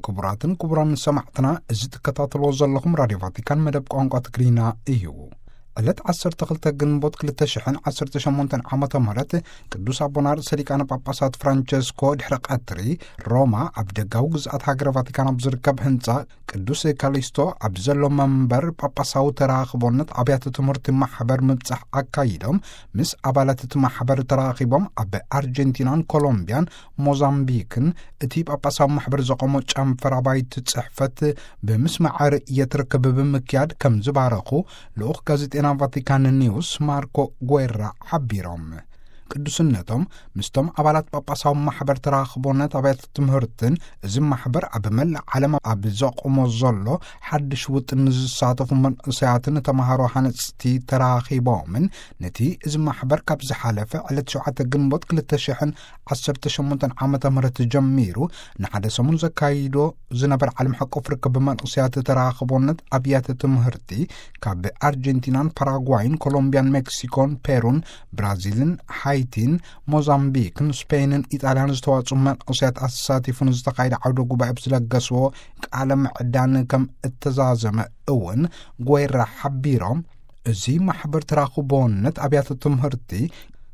ክቡራትን ክቡራን ሰማዕትና፣ እዚ ትከታተልዎ ዘለኹም ራድዮ ቫቲካን መደብ ቋንቋ ትግርኛ እዩ። ዕለት ዓሰርተ ክልተ ግንቦት ክልተ ሽሕን ዓሰርተ ሸሞንተን ዓመተ ምህረት ቅዱስ ኣቦና ርእሰ ሊቃነ ጳጳሳት ፍራንቸስኮ ድሕሪ ቀትሪ ሮማ ኣብ ደጋዊ ግዝኣት ሃገረ ቫቲካን ኣብ ዝርከብ ህንጻ ቅዱስ ካሊስቶ ኣብ ዘሎ መንበር ጳጳሳዊ ተራኽቦነት ኣብያተ ትምህርቲ ማሕበር ምብጻሕ ኣካይዶም፣ ምስ ኣባላት እቲ ማሕበር ተራኺቦም ኣብ ኣርጀንቲናን ኮሎምቢያን ሞዛምቢክን እቲ ጳጳሳዊ ማሕበር ዘቆሞ ጨንፈር ኣባይቲ ጽሕፈት ብምስማዕ ርእየት ርክብ ብምክያድ ከም ዝባረኹ ልኡኽ ጋዜጤና ቫቲካን ኒውስ ማርኮ ጓራ ሓቢሮም። ቅዱስነቶም ምስቶም ኣባላት ጳጳሳዊ ማሕበር ተራኽቦነት ኣብያተ ትምህርትን እዚ ማሕበር ኣብ መላእ ዓለም ኣብ ዘቆሞ ዘሎ ሓድሽ ውጥን ንዝሳተፉ መንእሰያትን ተማሃሮ ሃነጽቲ ተራኺቦምን ነቲ እዚ ማሕበር ካብ ዝሓለፈ ዕለት ሸውዓተ ግንቦት ክልተ ሽሕን ዓሰርተ ሸሞንተን ዓመተ ምህረት ጀሚሩ ንሓደ ሰሙን ዘካይዶ ዝነበረ ዓለም ሓቆፍ ርክብ መንእሰያት ተራኽቦነት ኣብያተ ትምህርቲ ካብ ኣርጀንቲናን ፓራጓይን ኮሎምቢያን ሜክሲኮን ፔሩን ብራዚልን ሃይቲን ሞዛምቢክን ስፔንን ኢጣልያን ዝተዋጽኡ መንእሰያት ኣሳቲፉ ንዝተኻየደ ዓውደ ጉባኤ ብዝለገስዎ ቃለ ምዕዳን ከም እተዛዘመ እውን ጓራ ሓቢሮም፣ እዚ ማሕበር ተራኽቦነት ኣብያተ ትምህርቲ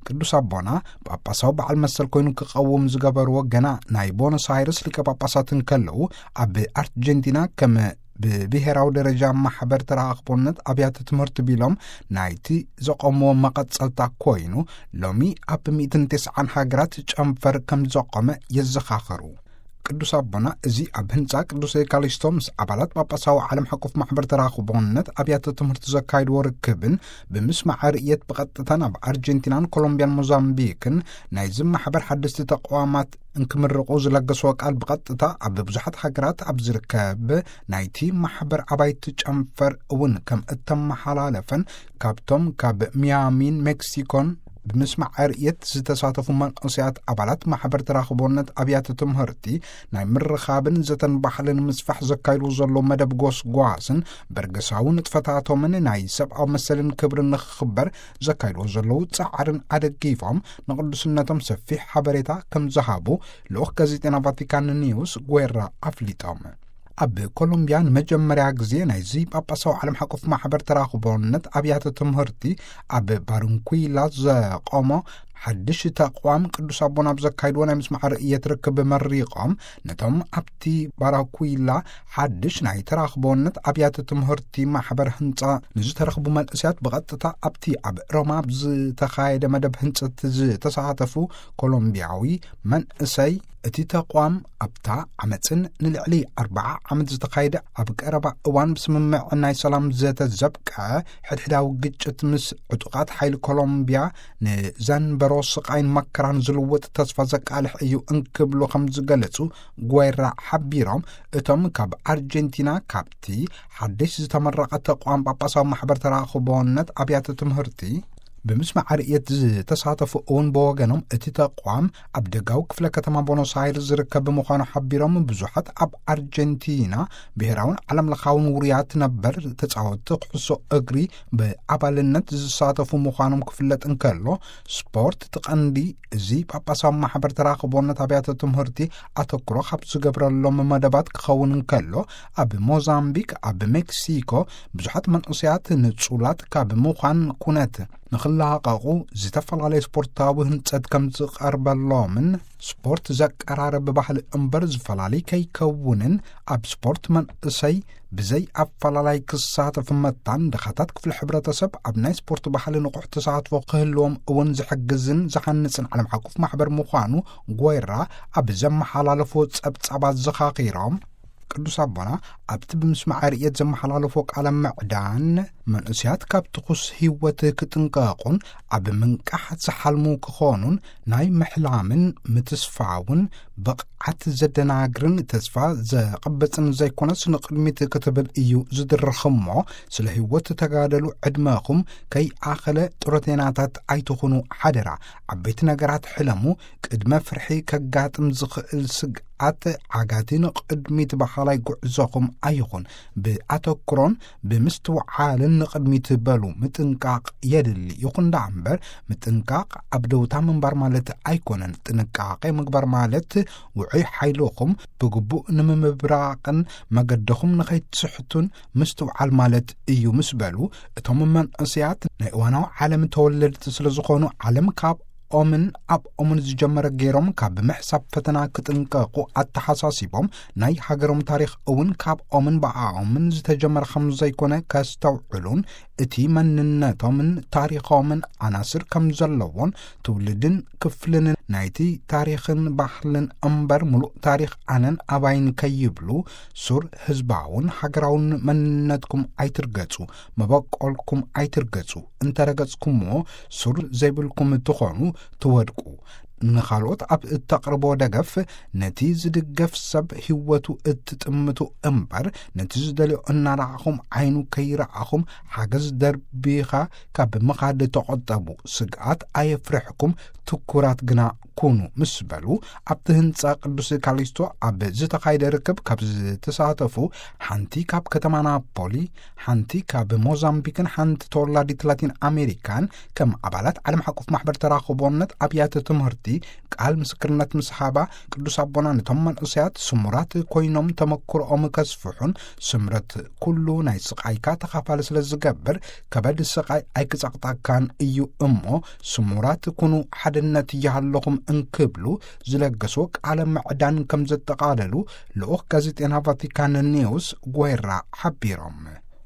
ቅዱስ ኣቦና ጳጳሳዊ በዓል መሰል ኮይኑ ክቐውም ዝገበርዎ ገና ናይ ቦኖስ ኣይረስ ሊቀ ጳጳሳት እንከለዉ ኣብ ኣርጀንቲና ከም ብብሔራዊ ደረጃ ማሕበር ተራኽቦነት ኣብያተ ትምህርቲ ቢሎም ናይቲ ዘቐምዎ መቐጸልታ ኮይኑ ሎሚ ኣብ ሚእትን ተስዓን ሃገራት ጨንፈር ከም ዘቆመ የዘኻኸሩ። ቅዱስ ኣቦና እዚ ኣብ ህንጻ ቅዱስ ካሊስቶ ምስ ኣባላት ጳጳሳዊ ዓለም ሓቆፍ ማሕበር ተራኽቦነት ኣብያተ ትምህርቲ ዘካይድዎ ርክብን ብምስማዕ ርእየት ብቐጥታ ናብ ኣርጀንቲናን ኮሎምቢያን ሞዛምቢክን ናይዚ ማሕበር ሓደስቲ ተቋማት እንክምርቑ ዝለገስዎ ቃል ብቐጥታ ኣብ ብዙሓት ሃገራት ኣብ ዝርከብ ናይቲ ማሕበር ኣባይቲ ጨንፈር እውን ከም እተመሓላለፈን ካብቶም ካብ ሚያሚን ሜክሲኮን ብምስማዕ ርእየት ዝተሳተፉ መንእሰያት ኣባላት ማሕበር ተራኽቦነት ኣብያተ ትምህርቲ ናይ ምርኻብን ዘተን ባህልን ምስፋሕ ዘካይድዎ ዘለዉ መደብ ጎስጓስን በርገሳዊ ንጥፈታቶምን ናይ ሰብኣዊ መሰልን ክብርን ንኽኽበር ዘካይድዎ ዘለዉ ጻዕርን ኣደጊፎም ንቅዱስነቶም ሰፊሕ ሓበሬታ ከም ዝሃቡ ልኡኽ ጋዜጤና ቫቲካን ኒውስ ጓራ ኣፍሊጦም። ኣብ ኮሎምቢያ ንመጀመርያ ግዜ ናይዚ ጳጳሳዊ ዓለም ሓቆፍ ማሕበር ተራኽቦነት ኣብያተ ትምህርቲ ኣብ ባርንኩላ ዘቆሞ ሓድሽ ተቋም ቅዱስ ኣቦና ኣብ ዘካይድዎ ናይ ምስማዕ ርእየት ርክብ መሪቖም ነቶም ኣብቲ ባራኩላ ሓድሽ ናይ ተራኽቦነት ኣብያተ ትምህርቲ ማሕበር ህንጻ ንዝተረኽቡ መንእሰያት ብቐጥታ ኣብቲ ኣብ ሮማ ብዝተኻየደ መደብ ህንጸት ዝተሳተፉ ኮሎምቢያዊ መንእሰይ እቲ ተቋም ኣብታ ዓመፅን ንልዕሊ ኣርብዓ ዓመት ዝተኻየደ ኣብ ቀረባ እዋን ብስምምዕ ናይ ሰላም ዘተ ዘብቅዐ ሕድሕዳዊ ግጭት ምስ ዕጡቓት ሓይሊ ኮሎምቢያ ንዘንበሮ ስቓይን መከራን ዝልውጥ ተስፋ ዘቃልሕ እዩ እንክብሉ ከም ዝገለጹ ጓራ ሓቢሮም እቶም ካብ ኣርጀንቲና ካብቲ ሓድሽ ዝተመረቐ ተቋም ጳጳሳዊ ማሕበር ተራኽቦነት ኣብያተ ትምህርቲ ብምስማዕ ርእየት ዝተሳተፉ እውን ብወገኖም እቲ ተቋም ኣብ ደጋዊ ክፍለ ከተማ ቦኖስ ኣይርስ ዝርከብ ብምዃኑ ሓቢሮም ብዙሓት ኣብ ኣርጀንቲና ብሔራውን ዓለም ለኻውን ውሩያት ነበር ተጻወትቲ ኩዕሶ እግሪ ብኣባልነት ዝሳተፉ ምዃኖም ክፍለጥ እንከሎ ስፖርት ትቐንዲ እዚ ጳጳሳዊ ማሕበር ተራኽቦነት ኣብያተ ትምህርቲ ኣተኩሮ ካብ ዝገብረሎም መደባት ክኸውን እንከሎ ኣብ ሞዛምቢክ ኣብ ሜክሲኮ ብዙሓት መንእሰያት ንጹላት ካብ ምዃን ኩነት ንኽላቐቑ ዝተፈላለየ ስፖርታዊ ህንጸት ከም ዝቐርበሎምን ስፖርት ዘቀራረብ ባህሊ እምበር ዝፈላለይ ከይከውንን ኣብ ስፖርት መንእሰይ ብዘይ ኣፈላላይ ክሳተፍ መታን ድኻታት ክፍሊ ሕብረተሰብ ኣብ ናይ ስፖርት ባህሊ ንቑሕ ተሳትፎ ክህልዎም እውን ዝሕግዝን ዝሃንጽን ዓለም ሓቁፍ ማሕበር ምዃኑ ጓራ ኣብ ዘመሓላለፎ ጸብጻባት ዘኻኺሮም ቅዱስ ኣቦና ኣብቲ ብምስማዕ ርእየት ዘመሓላለፎ ቃለ ምዕዳን መንእስያት ካብ ትኹስ ህይወት ክጥንቀቑን ኣብ ምንቃሕ ዝሓልሙ ክኾኑን ናይ ምሕላምን ምትስፋውን ብቕዓት ዘደናግርን ተስፋ ዘቕብጽን ዘይኮነስ ንቕድሚት ክትብል እዩ ዝድርኽ እሞ ስለ ህይወት ተጋደሉ ዕድመኹም ከይኣኸለ ጥሮቴናታት ኣይትኹኑ ሓደራ ዓበይቲ ነገራት ሕለሙ ቅድመ ፍርሒ ከጋጥም ዝኽእል ስግኣት ዓጋቲ ንቕድሚት በሃላይ ጉዕዞኹም ኣይኹን ብኣተኩሮን ብምስትውዓልን ንቕድሚት በሉ፣ ምጥንቃቕ የድሊ። ይኹን ደኣ እምበር፣ ምጥንቃቕ ኣብ ደውታ ምንባር ማለት ኣይኮነን። ጥንቃቄ ምግባር ማለት፣ ውዑይ ሓይልኹም ብግቡእ ንምምብራቕን መገድኹም ንኸይትስሕቱን ምስትውዓል ማለት እዩ ምስ በሉ፣ እቶም መንእሰያት ናይ እዋናዊ ዓለም ተወለድቲ ስለ ዝኾኑ፣ ዓለም ካብ ኦምን ኣብ ኦምን ዝጀመረ ገይሮም ካብ ምሕሳብ ፈተና ክጥንቀቑ ኣተሓሳሲቦም፣ ናይ ሃገሮም ታሪኽ እውን ካብ ኦምን ብኣኦምን ዝተጀመረ ከም ዘይኮነ ከስተውዕሉን፣ እቲ መንነቶምን ታሪኾምን ኣናስር ከም ዘለዎን፣ ትውልድን ክፍልን ናይቲ ታሪኽን ባህልን እምበር፣ ምሉእ ታሪኽ ኣነን ኣባይን ከይብሉ፣ ሱር ህዝባውን ሃገራውን መንነትኩም ኣይትርገጹ፣ መበቆልኩም ኣይትርገጹ። እንተረገጽኩምዎ፣ ሱር ዘይብልኩም ትኾኑ፣ ትወድቁ። ንኻልኦት ኣብ እተቕርቦ ደገፍ፣ ነቲ ዝድገፍ ሰብ ህይወቱ እትጥምቱ እምበር፣ ነቲ ዝደልዮ እናረኣኹም ዓይኑ ከይረኣኹም ሓገዝ ደርቢኻ ካብ ምኻድ ተቖጠቡ። ስግኣት ኣየፍርሕኩም፣ ትኩራት ግና ኩኑ ምስ በሉ፣ ኣብቲ ህንጻ ቅዱስ ካሊስቶ ኣብ ዝተኻየደ ርክብ ካብ ዝተሳተፉ፣ ሓንቲ ካብ ከተማ ናፖሊ፣ ሓንቲ ካብ ሞዛምቢክን ሓንቲ ተወላዲት ላቲን ኣሜሪካን፣ ከም ኣባላት ዓለም ሓቆፍ ማሕበር ተራኽቦነት ኣብያተ ትምህርቲ ቃል ምስክርነት ምስ ሃባ፣ ቅዱስ ኣቦና ነቶም መንእሰያት ስሙራት ኮይኖም ተመክሮኦም ከስፍሑን፣ ስምረት ኩሉ ናይ ስቓይካ ተኻፋሊ ስለ ዝገብር፣ ከበድ ስቓይ ኣይክጸቕጠካን እዩ እሞ፣ ስሙራት ኩኑ፣ ሓድነት ይሃለኹም እንክብሉ ዝለገሶ ቃለ ምዕዳን ከም ዘጠቓለሉ፣ ልኡኽ ጋዜጠና ቫቲካን ኒውስ ጓይራ ሓቢሮም።